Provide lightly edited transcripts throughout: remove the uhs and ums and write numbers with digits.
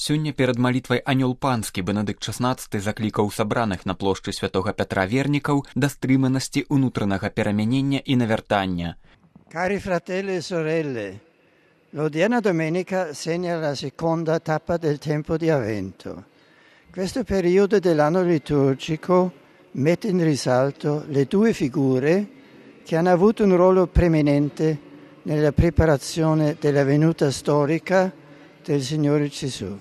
Сёння перад малітвай «Анёл панскі» Бенедыкт XVI заклікаў сабраных на плошчы святога Пятра вернікаў да стрыманасці ўнутранага перамянення і навяртання. Cari fratelli e sorelle, l'odierna domenica segna la seconda tappa del tempo di Avvento. Questo periodo dell'anno liturgico mette in risalto le due figure che hanno avuto un ruolo preminente nella preparazione della venuta storica del Signore Gesù.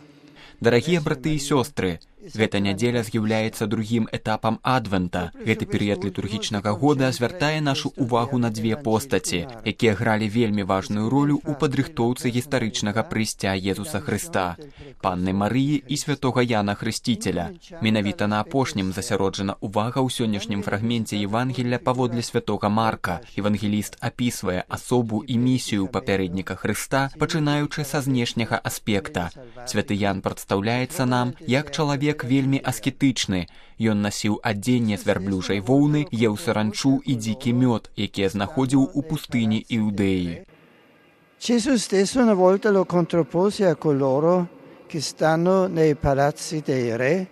Дарагія браты і сёстры, гэта нядзеля з'яўляецца другім этапам адвента. Гэты перыяд літургічнага года звяртае нашу ўвагу на дзве постаці, якія гралі вельмі важную ролю ў падрыхтоўцы гістарычнага прыйсця Езуса Хрыста, Панны Марыі і святога Яна Хрысціцеля. Менавіта на апошнім засяроджана ўвага ў сённяшнім фрагменце Евангелля паводле святога Марка. Евангеліст апісвае асобу і місію папярэдніка Хрыста, пачынаючы са знешняга аспекта. Святы Ян прадстаўляецца нам як чалавек вельмі аскетычны. Ён насіў адзенне з вярблюжай воўны, еў саранчу і дзікі мёд, якія знаходзіў у пустыні Іудеі. Gesù stesso una volta lo contrappose a coloro che stanno nei palazzi dei re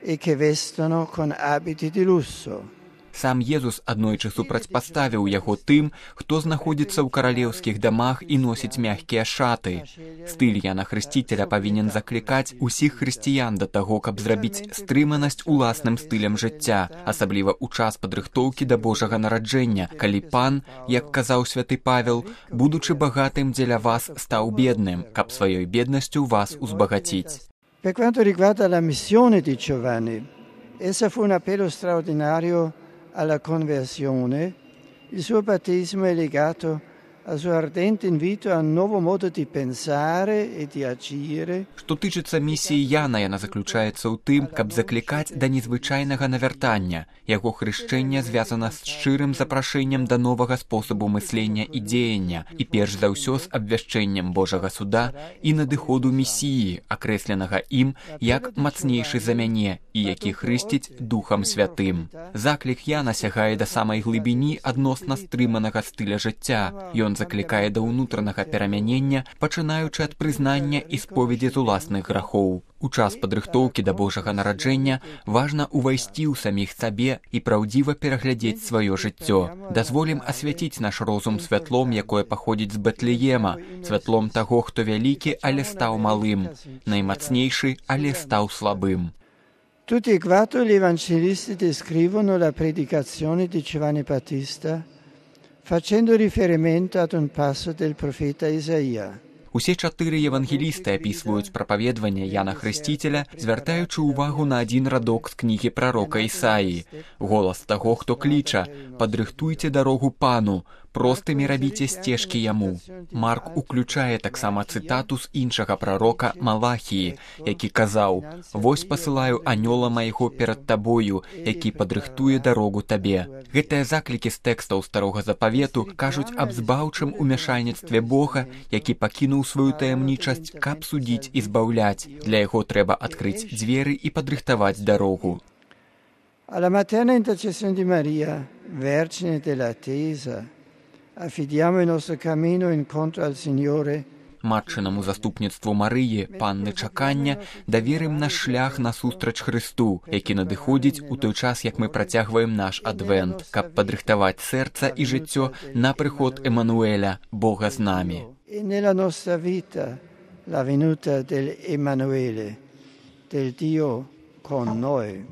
e che vestono con abiti di lusso. Сам Езус аднойчы супрацьпаставіў яго тым, хто знаходзіцца ў каралеўскіх дамах і носіць мягкія шаты. Стыль Яна Хрысціцеля павінен заклікаць усіх хрысціян да таго, каб зрабіць стрыманасць уласным стылем жыцця, асабліва ў час падрыхтоўкі да Божага нараджэння, калі Пан, як казаў святы Павел, будучы багатым дзеля вас, стаў бедным, каб сваёй беднасцю вас узбагаціць. Per quanto riguarda la missione di Giovanni, essa fu un appello straordinario alla conversione. Il suo battesimo è legato al suo ardente invito a un nuovo modo di pensare e di agire. Што тычыцца місіі Яна, яна заключаецца ў тым, каб заклікаць да незвычайнага навяртання. Яго хрышчэнне звязана з шчырым запрашэннем да новага спосабу мыслення і дзеяння, і перш за ўсё з абвяшчэннем Божага суда і надыходу Месіі, акрэсленага ім як мацнейшы за мяне і які хрысціць Духам Святым. Заклік Яна сягае да самай глыбіні адносна стрыманага стыля жыцця. Ён заклікае да ўнутранага перамянення, пачынаючы ад прызнання і споведзі з уласных грахоў. У час падрыхтоўкі да Божага нараджэння важна ўвайсці ў саміх сабе і праўдзіва пераглядзець сваё жыццё. Дазволім асвяціць наш розум святлом, якое паходзіць з Бэтлеема, святлом таго, хто вялікі, але стаў малым, наймацнейшы, але стаў слабым. Tutti e quattro gli evangelisti descrivono la predicazione di Giovanni Battista facendo riferimento ad un passo del profeta Isaia. Усе чатыры евангелісты апісваюць прапаведванне Яна Хрысціцеля, звяртаючы ўвагу на адзін радок з кнігі прарока Ісаіі. Голас таго, хто кліча: «Падрыхтуйце дарогу Пану, простымі рабіце сцежкі яму». Марк уключае таксама цытату з іншага прарока Малахіі, які казаў: «Вось пасылаю анёла майго перад табою, які падрыхтуе дарогу табе». Гэтыя заклікі з тэкстаў старога запавету кажуць аб збаўчым умяшальніцтве Бога, які пакінуў сваю таямнічасць, каб судзіць і збаўляць. Для яго трэба адкрыць дзверы і падрыхтаваць дарогу. Alla materna intercessione di Maria, Vergine dell'attesa, affidiamo il nostro cammino incontro al Signore. Матчынаму заступніцтву Марыі, Панны чакання, даверым наш шлях насустрач Хрысту, які надыходзіць у той час, як мы працягваем наш адвент, каб падрыхтаваць сэрца і жыццё на прыход Эмануэля, Бога з намі. E nella nostra vita la venuta dell'Emanuele, del Dio con noi.